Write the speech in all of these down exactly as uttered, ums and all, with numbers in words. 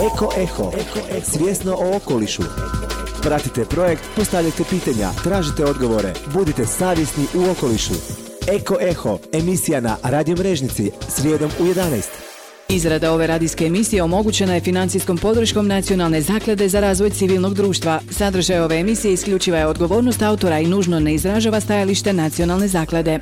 Eko Eho, svjesno o okolišu. Pratite projekt, postavljajte pitanja, tražite odgovore, budite savjesni u okolišu. Eko Eho, emisija na Radio Mrežnici, srijedom u jedanaest. Izrada ove radijske emisije omogućena je financijskom podrškom Nacionalne zaklade za razvoj civilnog društva. Sadržaj ove emisije isključiva je odgovornost autora i nužno ne izražava stajalište Nacionalne zaklade.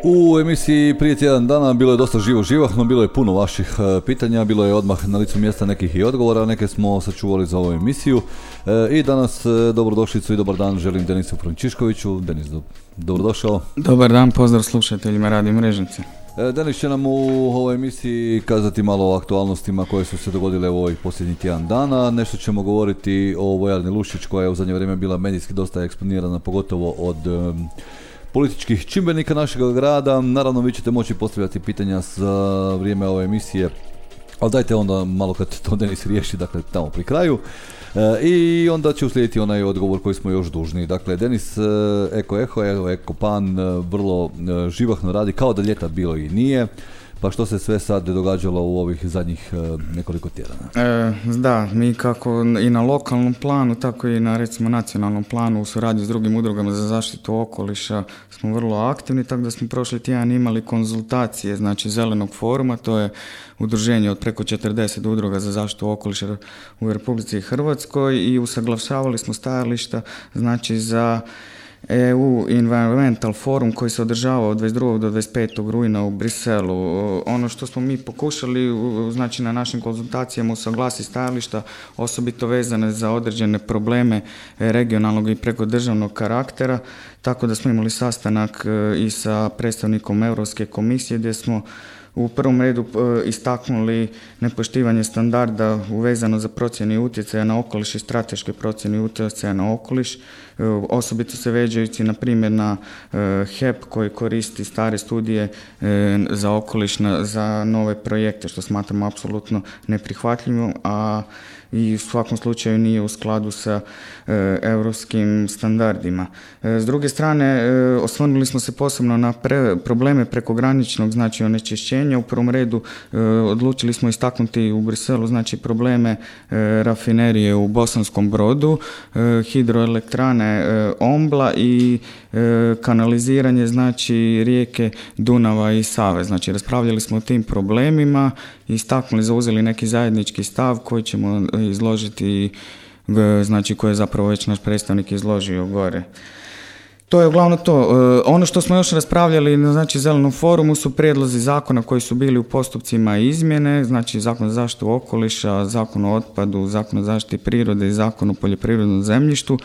U emisiji prije tjedan dana bilo je dosta živo živahno, bilo je puno vaših e, pitanja, bilo je odmah na licu mjesta nekih i odgovora, neke smo sačuvali za ovu emisiju e, i danas e, dobrodošlicu i dobar dan želim Denisu Frančiškoviću. Denis, do, dobrodošao. Dobar dan, pozdrav slušateljima Radio Mrežnice. E, Denis će nam u ovoj emisiji kazati malo o aktualnostima koje su se dogodile u ovih posljednjih tjedan dana. Nešto ćemo govoriti o vojarni Lušić koja je u zadnje vrijeme bila medijski dosta eksponirana, pogotovo od e, političkih čimbenika našeg grada. Naravno, vi ćete moći postavljati pitanja za vrijeme ove emisije, ali dajte onda malo kad to Denis riješi, dakle tamo pri kraju. E, I onda će uslijediti onaj odgovor koji smo još dužni. Dakle, Denis, e, Eko Eho, evo Eko Pan, e, vrlo e, živahno radi, kao da ljeta bilo i nije. Pa što se sve sad događalo u ovih zadnjih e, nekoliko tjedana? E, da, mi kako i na lokalnom planu, tako i na recimo nacionalnom planu u suradnji s drugim udrugama za zaštitu okoliša smo vrlo aktivni, tako da smo prošli tjedan imali konzultacije, znači Zelenog foruma, to je udruženje od preko četrdeset udruga za zaštitu okoliša u Republici Hrvatskoj i usaglašavali smo stajališta, znači za E U Environmental Forum koji se održava od dvadeset drugog do dvadeset petog rujna u Briselu. Ono što smo mi pokušali, znači na našim konzultacijama usaglasiti stajališta, osobito vezane za određene probleme regionalnog i preko državnog karaktera, tako da smo imali sastanak i sa predstavnikom Europske komisije gdje smo u prvom redu istaknuli nepoštivanje standarda uvezano za procjenu utjecaja na okoliš i strateške procjene utjecaja na okoliš, osobito se vežući na primjer na H E P koji koristi stare studije za okoliš za nove projekte, što smatramo apsolutno neprihvatljivo, a i u svakom slučaju nije u skladu sa e, europskim standardima. E, s druge strane, e, osvrnuli smo se posebno na pre, probleme prekograničnog, znači onečišćenja. U prvom redu e, odlučili smo istaknuti u Briselu, znači probleme e, rafinerije u Bosanskom Brodu, e, hidroelektrane e, Ombla i e, kanaliziranje, znači rijeke Dunava i Save. Znači raspravljali smo o tim problemima i istaknuli, zauzeli neki zajednički stav koji ćemo izložiti, znači koje je zapravo već naš predstavnik izložio gore. To je uglavnom to. Ono što smo još raspravljali na znači, Zelenom forumu su prijedlozi zakona koji su bili u postupcima izmjene, znači Zakon o zaštitu okoliša, Zakon o otpadu, Zakon o zaštiti prirode i Zakon o poljoprivrednom zemljištu.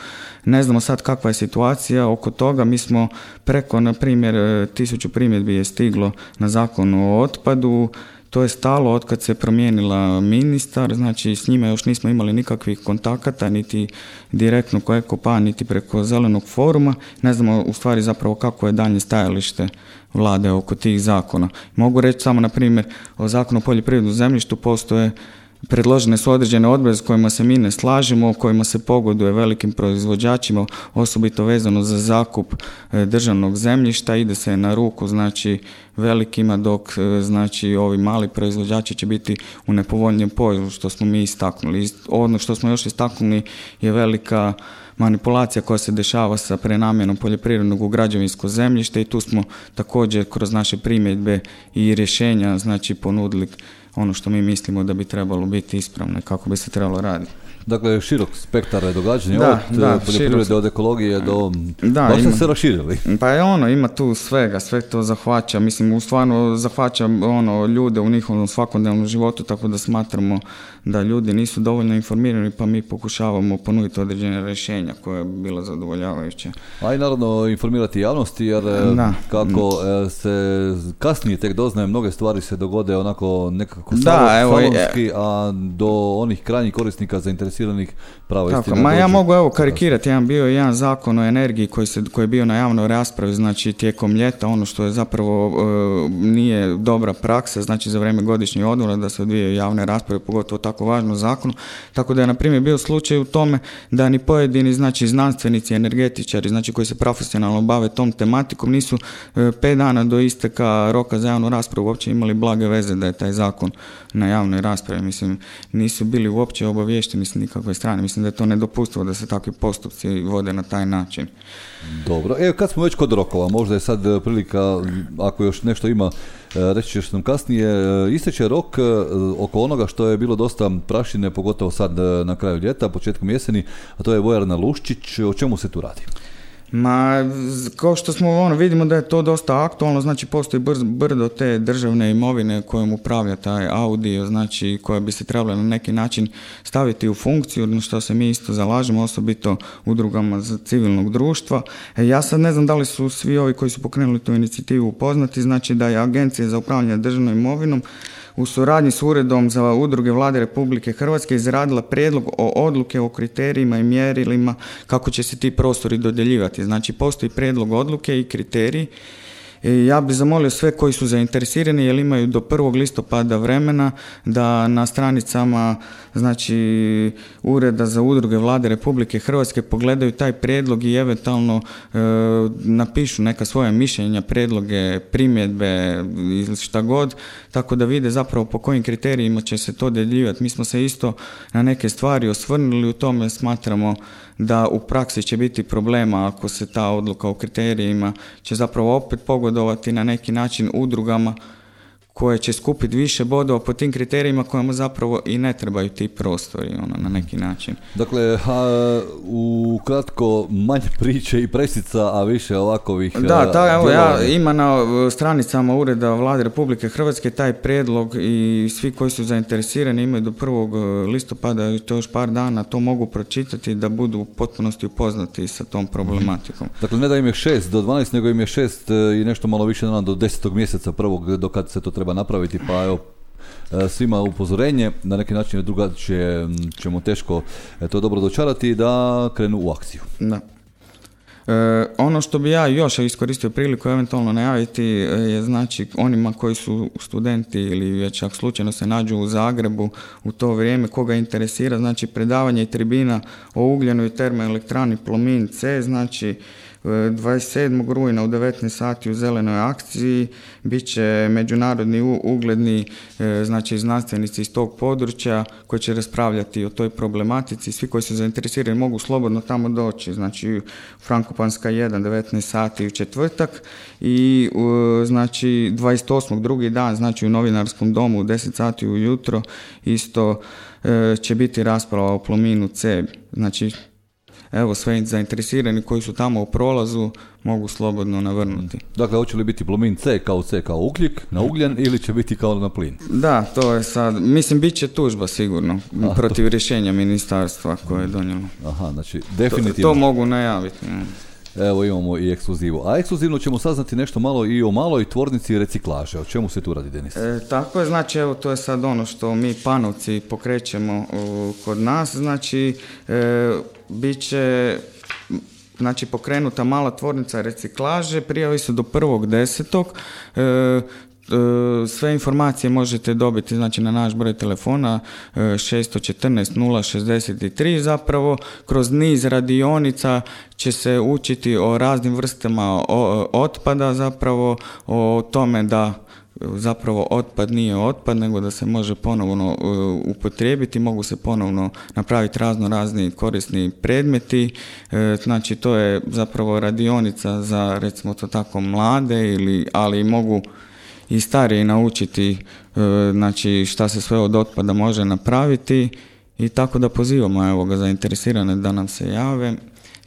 Ne znamo sad kakva je situacija oko toga. Mi smo preko, na primjer, tisuću primjedbi je stiglo na Zakon o otpadu. To je stalo od kad se promijenila ministar, znači s njima još nismo imali nikakvih kontakata, niti direktno ko Eko Pan, niti preko Zelenog foruma. Ne znamo u stvari zapravo kako je daljnje stajalište vlade oko tih zakona. Mogu reći samo na primjer o Zakonu o poljoprivrednom zemljištu postoje predložene su određene odredbe s kojima se mi ne slažemo, kojima se pogoduje velikim proizvođačima, osobito vezano za zakup državnog zemljišta, ide se na ruku znači velikima, dok znači ovi mali proizvođači će biti u nepovoljnijem položaju, što smo mi istaknuli. Ono što smo još istaknuli je velika manipulacija koja se dešava sa prenamjenom poljoprivrednog u građevinsko zemljište i tu smo također kroz naše primjedbe i rješenja znači ponudili ono što mi mislimo da bi trebalo biti ispravno, kako bi se trebalo raditi. Dakle, širok spektar događanja, da, od da, poljoprivrede, širok... od ekologije do... Da, baš ima... ste se raširili. Pa je ono, ima tu svega, sve to zahvaća, mislim, stvarno zahvaća ono, ljude u njihovom svakodnevnom životu, tako da smatramo da ljudi nisu dovoljno informirani, pa mi pokušavamo ponuditi određene rješenja koje je bilo zadovoljavajuće. A i naravno informirati javnosti, jer da. kako se kasnije tek doznaje, mnoge stvari se dogode onako nekako salonski, a do onih krajnjih korisnika zainteresiranih zainteresiranih, prava Tako, istina. ma dođe. ja mogu evo karikirati, jedan bio je jedan zakon o energiji koji, se, koji je bio na javnoj raspravi, znači tijekom ljeta, ono što je zapravo e, nije dobra praksa, znači za vrijeme godišnjih odmora da se odvijaju javne rasprave, pogotovo tako važno zakonu, tako da je na primjer bio slučaj u tome da ni pojedini znači znanstvenici, energetičari, znači koji se profesionalno bave tom tematikom, nisu e, pet dana do isteka roka za javnu raspravu uopće imali blage veze da je taj zakon na javnoj raspravi, mislim, nisu bili uopće obaviješteni s nikakve strane, mislim da je to nedopustivo da se takvi postupci vode na taj način. Dobro, evo kad smo već kod rokova, možda je sad prilika, ako još nešto ima, reći ćeš nam kasnije, isteče rok oko onoga što je bilo dosta prašine, pogotovo sad na kraju ljeta, početkom jeseni, a to je vojarna Luščić. O čemu se tu radi? Ma, kao što smo ono, vidimo da je to dosta aktualno, znači postoji brz, brdo te državne imovine kojom upravlja taj audio, znači koja bi se trebala na neki način staviti u funkciju, na što se mi isto zalažemo, osobito udrugama za civilnog društva. E, ja sad ne znam da li su svi ovi koji su pokrenuli tu inicijativu upoznati, znači da je Agencija za upravljanje državnom imovinom u suradnji s Uredom za udruge Vlade Republike Hrvatske izradila prijedlog o odluke o kriterijima i mjerilima kako će se ti prostori dodjeljivati. Znači, postoji prijedlog odluke i kriteriji. I ja bih zamolio sve koji su zainteresirani, jer imaju do prvog listopada vremena da na stranicama znači Ureda za udruge Vlade Republike Hrvatske pogledaju taj prijedlog i eventualno e, napišu neka svoja mišljenja, prijedloge, primjedbe ili šta god, tako da vide zapravo po kojim kriterijima će se to dodjeljivati. Mi smo se isto na neke stvari osvrnuli, u tome smatramo da u praksi će biti problema ako se ta odluka o kriterijima će zapravo opet pogodovati na neki način udrugama koje će skupiti više bodova po tim kriterijima kojima zapravo i ne trebaju ti prostori ono, na neki način. Dakle, a, u kratko manje priče i presica, a više ovakovih... Da, ta, evo, ja, ima na stranicama Ureda Vlade Republike Hrvatske taj prijedlog i svi koji su zainteresirani imaju do prvog listopada i to još par dana to mogu pročitati da budu u potpunosti upoznati sa tom problematikom. Dakle, ne da im je šest do dvanaest, nego im je šest i nešto malo više dana do desetog mjeseca prvog do kad se to treba napraviti, pa evo svima upozorenje, na neki način drugačije ćemo teško to dobro dočarati da krenu u akciju. Da. E, ono što bi ja još iskoristio priliku eventualno najaviti je znači onima koji su studenti ili već ako slučajno se nađu u Zagrebu u to vrijeme, koga interesira, znači predavanje i tribina o ugljenu i termoelektrani Plomin C, znači dvadeset sedmog rujna u devetnaest sati u zelenoj akciji bit će međunarodni ugledni znači znanstvenici iz tog područja koji će raspravljati o toj problematici. Svi koji su zainteresirani mogu slobodno tamo doći, znači Frankopanska jedan, devetnaest sati u četvrtak i znači dvadeset osmog drugi dan, znači u Novinarskom domu u deset sati ujutro isto će biti rasprava o Plominu C. Znači evo, sve zainteresirani koji su tamo u prolazu mogu slobodno navrnuti. Dakle, hoće li biti Plomin C kao C kao ugljik na ugljen ili će biti kao na plin? Da, to je sad, mislim, bit će tužba sigurno A, protiv to... rješenja ministarstva koje je donijelo. Aha, znači, definitivno. To, to mogu najaviti. Evo imamo i ekskluzivu. A ekskluzivno ćemo saznati nešto malo i o maloj tvornici reciklaže. O čemu se tu radi, Denis? E, tako je, znači evo to je sad ono što mi Panovci pokrećemo u, kod nas. Znači e, bit će znači pokrenuta mala tvornica reciklaže, prijavi su do prvog desetog. E, sve informacije možete dobiti znači na naš broj telefona šest jedan četiri nula šezdeset tri. Zapravo kroz niz radionica će se učiti o raznim vrstama otpada, zapravo o tome da zapravo otpad nije otpad, nego da se može ponovno upotrijebiti, mogu se ponovno napraviti razno razni korisni predmeti. Znači to je zapravo radionica za recimo to tako mlade, ili, ali mogu i stariji naučiti znači šta se sve od otpada može napraviti i tako da pozivamo evo ga zainteresirane da nam se jave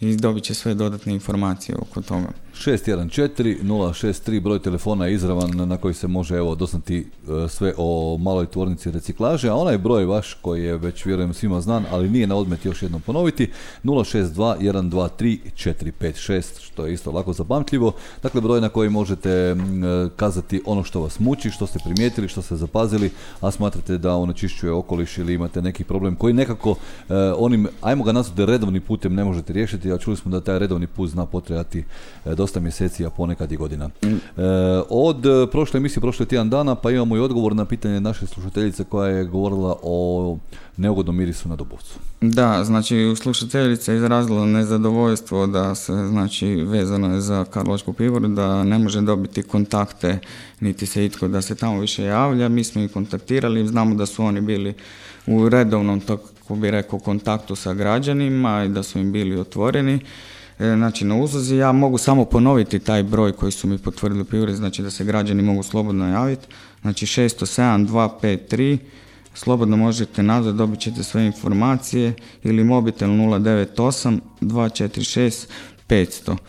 i dobit će sve dodatne informacije oko toga. šest jedan četiri nula šest tri broj telefona je izravan na koji se može evo doznati uh, sve o maloj tvornici reciklaže, a onaj broj vaš koji je već vjerujem svima znan, ali nije na odmet još jednom ponoviti, nula šest dva jedan dva tri četiri pet šest, što je isto lako zapamtljivo. Dakle, broj na koji možete uh, kazati ono što vas muči, što ste primijetili, što ste zapazili, a smatrate da onečišćuje okoliš ili imate neki problem koji nekako uh, onim, ajmo ga nazvati redovnim putem ne možete riješiti, a čuli smo da taj redovni put zna potrebati uh, dosta mjeseci, a ponekad i godina. Mm. Uh, od uh, prošle emisije, prošle tjedan dana, pa imamo i odgovor na pitanje naše slušateljice koja je govorila o neugodnom mirisu na Dobovcu. Da, znači slušateljica je izrazila nezadovoljstvo da se, znači, vezano je za Karlovačku pivovaru, da ne može dobiti kontakte, niti se itko da se tamo više javlja. Mi smo ih kontaktirali, znamo da su oni bili u redovnom, tako bi rekao, kontaktu sa građanima i da su im bili otvoreni. E, znači na uzlazi, ja mogu samo ponoviti taj broj koji su mi potvrdili u pivovari, znači da se građani mogu slobodno javiti, znači šest nula sedam dva pet tri, slobodno možete nazvati, dobit ćete sve informacije, ili mobitel nula devet osam dva četiri šest pet nula nula.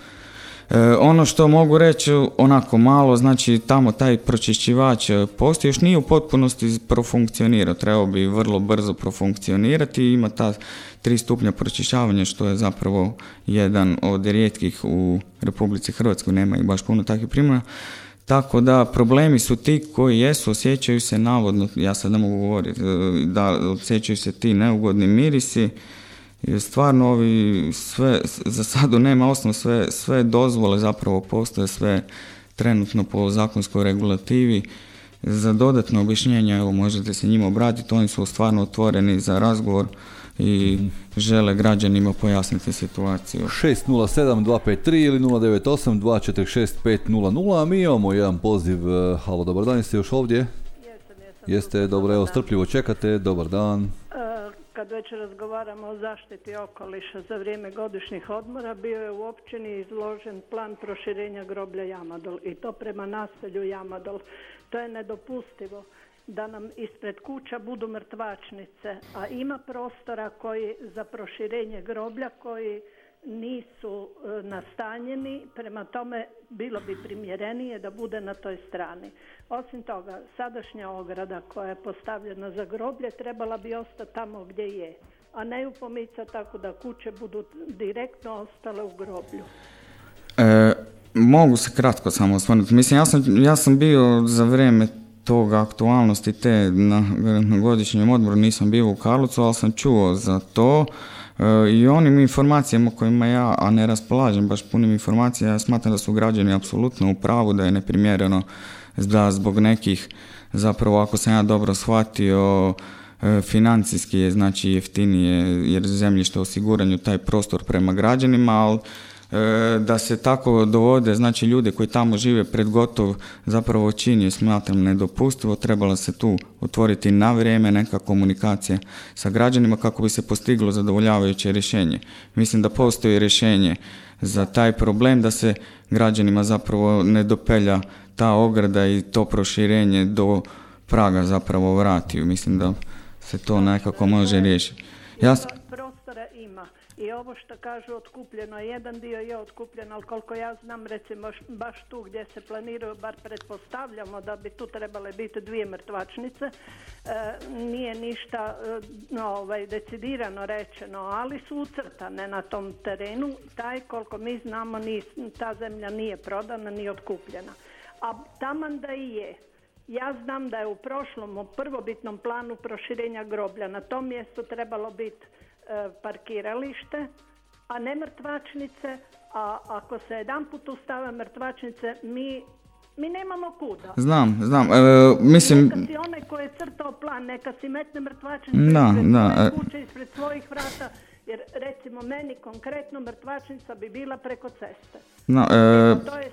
E, ono što mogu reći onako malo, znači tamo taj pročišćivač postoji, još nije u potpunosti profunkcionirao, trebao bi vrlo brzo profunkcionirati, ima ta tri stupnja pročišćavanja, što je zapravo jedan od rijetkih u Republici Hrvatskoj, nema ih baš puno takvih primjera. Tako da problemi su ti koji jesu, osjećaju se navodno, ja sad ne mogu govoriti, da osjećaju se ti neugodni mirisi. I stvarno ovi sve, za sada nema osnov, sve, sve dozvole zapravo postoje, sve trenutno po zakonskoj regulativi. Za dodatno objašnjenje, evo, možete se njima obratiti, oni su stvarno otvoreni za razgovor i mm-hmm. žele građanima pojasniti situaciju. šest nula sedam dva pet tri ili nula devet osam dva četiri šest pet nula nula, a mi imamo jedan poziv. Halo, dobar dan, jeste još ovdje? Jesam, jesam. Jeste, dobro, evo, strpljivo čekate, dobar dan. Kad već razgovaramo o zaštiti okoliša za vrijeme godišnjih odmora, bio je u općini izložen plan proširenja groblja Jamadol i to prema naselju Jamadol. To je nedopustivo da nam ispred kuća budu mrtvačnice, a ima prostora koji za proširenje groblja koji nisu e, nastanjeni, prema tome bilo bi primjerenije da bude na toj strani. Osim toga, sadašnja ograda koja je postavljena za groblje trebala bi ostati tamo gdje je, a ne ju pomicati tako da kuće budu direktno ostale u groblju. E, mogu se kratko samo osvrnuti. Mislim, ja sam, ja sam bio za vrijeme toga aktualnosti te na, na godišnjem odmoru, nisam bio u Karlovcu, ali sam čuo za to. I onim informacijama kojima ja, a ne raspolažem baš punim informacija, ja smatram da su građani apsolutno u pravu, da je neprimjereno da zbog nekih, zapravo ako sam ja dobro shvatio, financijski je znači jeftinije jer zemljište osiguranju taj prostor prema građanima, ali da se tako dovode, znači ljude koji tamo žive pred gotov zapravo čin je, smatram, nedopustivo. Trebala se tu otvoriti na vrijeme neka komunikacija sa građanima kako bi se postiglo zadovoljavajuće rješenje. Mislim da postoji rješenje za taj problem, da se građanima zapravo ne dopelja ta ograda i to proširenje do praga zapravo vrati. Mislim da se to nekako može riješiti. Ja... Prostora ima. I ovo što kažu otkupljeno, jedan dio je otkupljen, ali koliko ja znam, recimo baš tu gdje se planiraju, bar pretpostavljamo da bi tu trebale biti dvije mrtvačnice, e, nije ništa no, ovaj, decidirano rečeno, ali su ucrtane na tom terenu. Taj, koliko mi znamo, ni, ta zemlja nije prodana, ni otkupljena. A taman da i je. Ja znam da je u prošlom, u prvobitnom planu proširenja groblja na tom mjestu trebalo biti parkiralište, a ne mrtvačnice, a ako se jedan put ustave mrtvačnice, mi, mi nemamo kuda. Znam, znam. E, mislim... Neka si onaj koji je crtao plan, neka si metne mrtvačnice da, ispred da, svoje e... kuće, ispred svojih vrata, jer recimo meni konkretno mrtvačnica bi bila preko ceste. No, e... To je,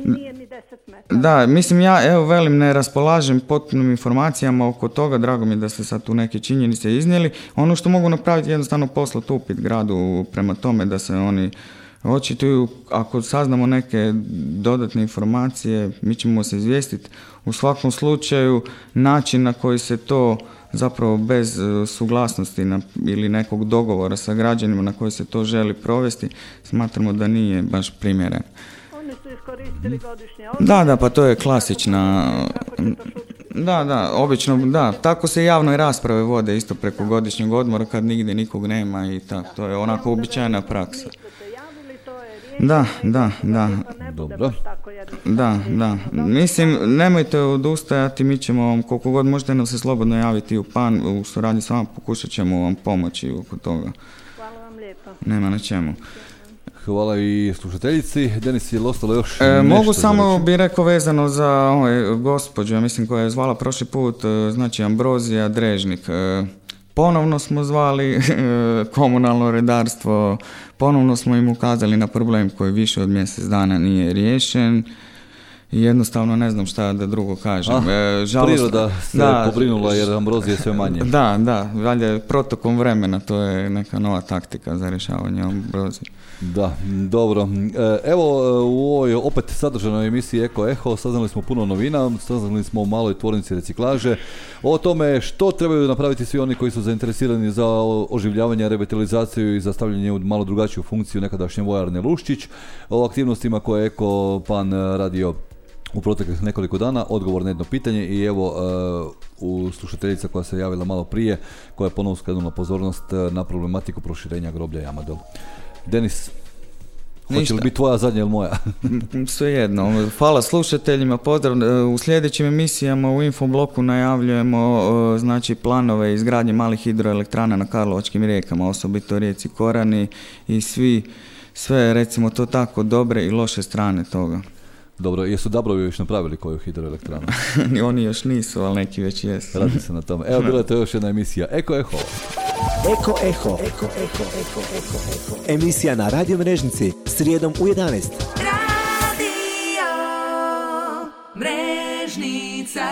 nije ni deset metara. Da, mislim ja, evo velim, ne raspolažem potpunim informacijama oko toga, drago mi je da ste sad tu neke činjenice iznijeli. Ono što mogu napraviti je jednostavno poslati upit gradu prema tome da se oni očituju. Ako saznamo neke dodatne informacije, mi ćemo se izvijestiti. U svakom slučaju, način na koji se to zapravo bez suglasnosti na, ili nekog dogovora sa građanima na koji se to želi provesti, smatramo da nije baš primjeren. Oni koristili godišnje odmore? Da, da, pa to je klasična... Da, da, obično, da, tako se javne rasprave vode isto preko godišnjeg odmora kad nigdje nikog nema i tako, to je onako uobičajena praksa. Da, da, da. Dobro. Da, da. Mislim, nemojte odustajati, mi ćemo vam, koliko god možete nam se slobodno javiti u pan, u suradnji s vama, pokušat ćemo vam pomoći oko toga. Hvala vam lijepo. Nema na čemu. Hvala i slušateljici. Denis, je li ostalo još e, nešto? Mogu samo bi rekao vezano za ovaj, gospođu, ja mislim koja je zvala prošli put, znači Ambrozija Drežnik. E, ponovno smo zvali komunalno redarstvo, ponovno smo im ukazali na problem koji više od mjesec dana nije riješen. I jednostavno ne znam šta da drugo kažem. Ah, e, žalost, priroda se da, pobrinula jer ambrozije sve manje. Da, da, valjda protokom vremena, to je neka nova taktika za rješavanje ambrozije. Da, dobro. Evo u ovoj opet sadržanoj emisiji Eko Eho saznali smo puno novina, saznali smo o maloj tvornici reciklaže, o tome što trebaju napraviti svi oni koji su zainteresirani za oživljavanje, revitalizaciju i za stavljanje u malo drugačiju funkciju nekadašnje vojarne Luščić, o aktivnostima koje je Eko Pan radio u proteklih nekoliko dana, odgovor na jedno pitanje i evo uh, u slušateljica koja se javila malo prije, koja je ponovno skrenula pozornost na problematiku proširenja groblja Jamadol. Denis, hoće li biti tvoja zadnja ili moja? Svejedno. Hvala slušateljima, pozdrav. U sljedećim emisijama u Infobloku najavljujemo znači planove izgradnje malih hidroelektrana na Karlovačkim rijekama, osobito rijeci Korani i svi, sve recimo to tako dobre i loše strane toga. Dobro, jesu Dabrovi još napravili koju hidroelektranu? Oni još nisu, ali neki već jesu. Radi se na tome. Evo, bila je to još jedna emisija Eko Eho. Eko Eho. Eko Eho. Eko Eho. Eko. Emisija na Radio Mrežnici srijedom u jedanaest. Radio Mrežnica.